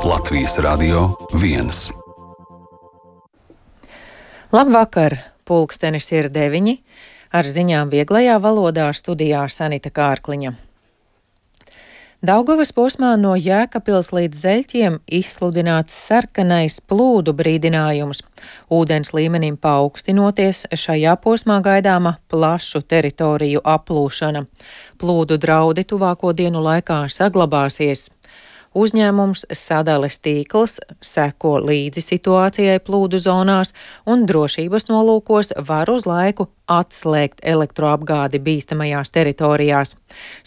Latvijas Radio 1. Labvakar! Pulkstenis ir 9. Ar ziņām vieglajā valodā studijā Sanita Kārkliņa. Daugavas posmā no Jēkabpils līdz Zeļķiem izsludināts sarkanais plūdu brīdinājums. Ūdens līmenim paaugstinoties, šajā posmā gaidāma plašu teritoriju aplūšana. Plūdu draudi tuvāko dienu laikā saglabāsies. Uzņēmums Sadales tīkls seko līdzi situācijai plūdu zonās un drošības nolūkos var uz laiku atslēgt elektroapgādi bīstamajās teritorijās.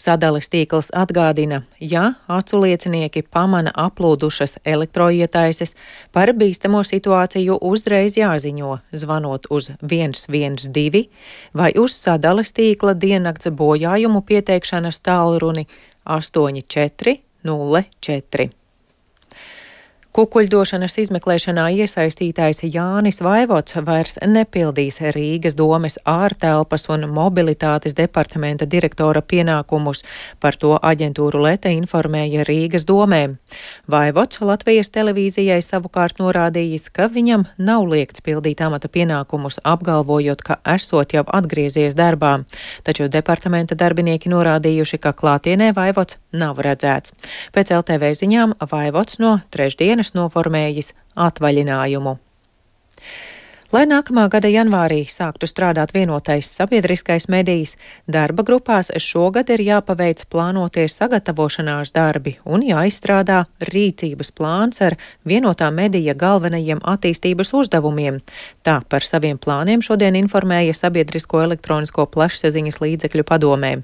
Sadales tīkls atgādina, ja aculiecinieki pamana aplūdušas elektroietaises, par bīstamo situāciju uzreiz jāziņo, zvanot uz 112 vai uz Sadales tīkla diennakts bojājumu pieteikšanas tālruni 84 04. Kukuļdošanas izmeklēšanā iesaistītais Jānis Vaivots vairs nepildīs Rīgas domes ārtelpas un mobilitātes departamenta direktora pienākumus. Par to aģentūru Lete informēja Rīgas domē. Vaivots Latvijas televīzijai savukārt norādījis, ka viņam nav liegts pildīt amata pienākumus, apgalvojot, ka esot jau atgriezies darbā. Taču departamenta darbinieki norādījuši, ka klātienē Vaivots nav redzēts. Pēc LTV ziņām Vaivots no trešdienas noformējis atvaļinājumu. Lai nākamā gada janvārī sāktu strādāt vienotais sabiedriskais medijs, darba grupās šogad ir jāpaveic plānotie sagatavošanās darbi un jāizstrādā rīcības plāns ar vienotā medija galvenajiem attīstības uzdevumiem. Tā par saviem plāniem šodien informēja Sabiedrisko elektronisko plašsaziņas līdzekļu padomē.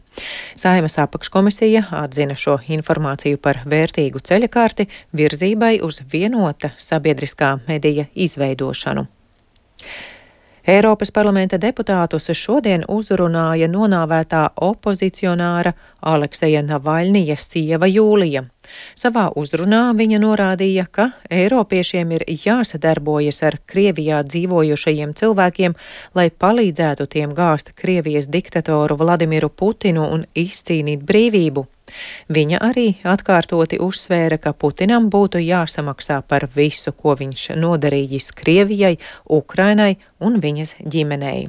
Saeimas apakškomisija atzina šo informāciju par vērtīgu ceļakarti virzībai uz vienota sabiedriskā medija izveidošanu. Eiropas parlamenta deputātus šodien uzrunāja nonāvētā opozicionāra Alekseja Navaļnija sieva Jūlija. Savā uzrunā viņa norādīja, ka eiropiešiem ir jāsadarbojas ar Krievijā dzīvojušajiem cilvēkiem, lai palīdzētu tiem gāzt Krievijas diktatoru Vladimiru Putinu un izcīnīt brīvību. Viņa arī atkārtoti uzsvēra, ka Putinam būtu jāsamaksā par visu, ko viņš nodarījis Krievijai, Ukrainai un viņas ģimenei.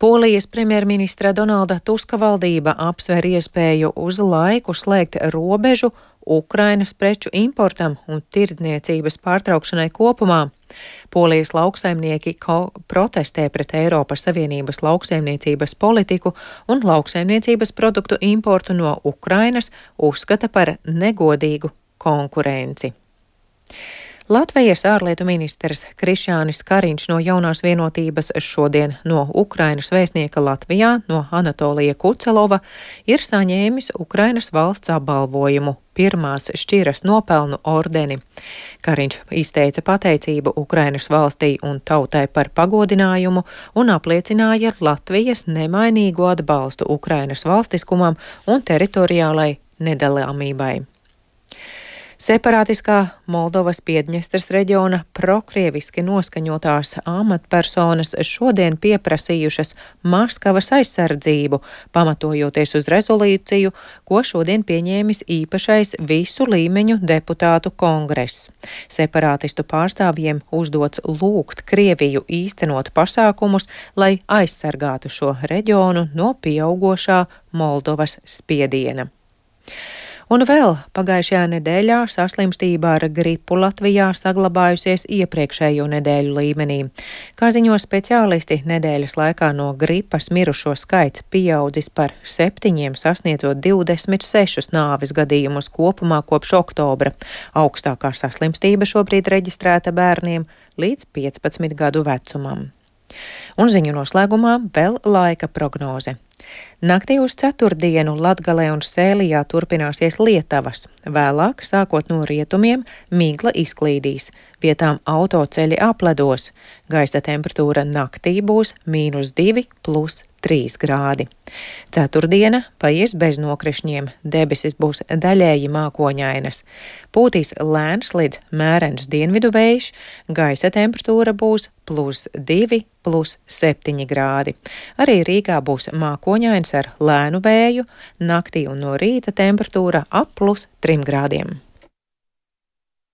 Polijas premjerministra Donalda Tuska valdība apsver iespēju uz laiku slēgt robežu Ukrainas preču importam un tirdzniecības pārtraukšanai kopumā. Polijas lauksaimnieki protestē pret Eiropas Savienības lauksaimniecības politiku un lauksaimniecības produktu importu no Ukrainas uzskata par negodīgu konkurenci. Latvijas ārlietu ministrs Krišjānis Kariņš no Jaunās vienotības šodien no Ukrainas vēstnieka Latvijā, no Anatolija Kucelova, ir saņēmis Ukrainas valsts apbalvojumu pirmās šķiras nopelnu ordeni. Kariņš izteica pateicību Ukrainas valstī un tautai par pagodinājumu un apliecināja Latvijas nemainīgu atbalstu Ukrainas valstiskumam un teritoriālai nedalāmībai. Separātiskā Moldovas Piedņestras reģiona prokrieviski noskaņotās amatpersonas šodien pieprasījušas Maskavas aizsardzību, pamatojoties uz rezolūciju, ko šodien pieņēmis īpašais visu līmeņu deputātu kongress. Separātistu pārstāvjiem uzdots lūgt Krieviju īstenot pasākumus, lai aizsargātu šo reģionu no pieaugošā Moldovas spiediena. Un vēl pagājušajā nedēļā saslimstība ar gripu Latvijā saglabājusies iepriekšējo nedēļu līmenī. Kā ziņo speciālisti, nedēļas laikā no gripas mirušo skaits pieaudzis par 7, sasniedzot 26 nāves gadījumus kopumā kopš oktobra. Augstākā saslimstība šobrīd reģistrēta bērniem līdz 15 gadu vecumam. Un ziņu noslēgumā vēl laika prognoze. Naktī uz ceturtdienu Latgalē un Sēlijā turpināsies lietavas. Vēlāk, sākot no rietumiem, migla izklīdīs. Vietām autoceļi apledos. Gaisa temperatūra naktī būs -2 + 3 grādi. Ceturtdiena paies bez nokrišņiem. Debesis būs daļēji mākoņainas. Pūtīs lēns līdz mērens dienvidu vējš. Gaisa temperatūra būs +2 + 7 grādi. Arī Rīgā būs mākoņains ar lēnu vēju. Naktī un no rīta temperatūra ap +3 grādiem.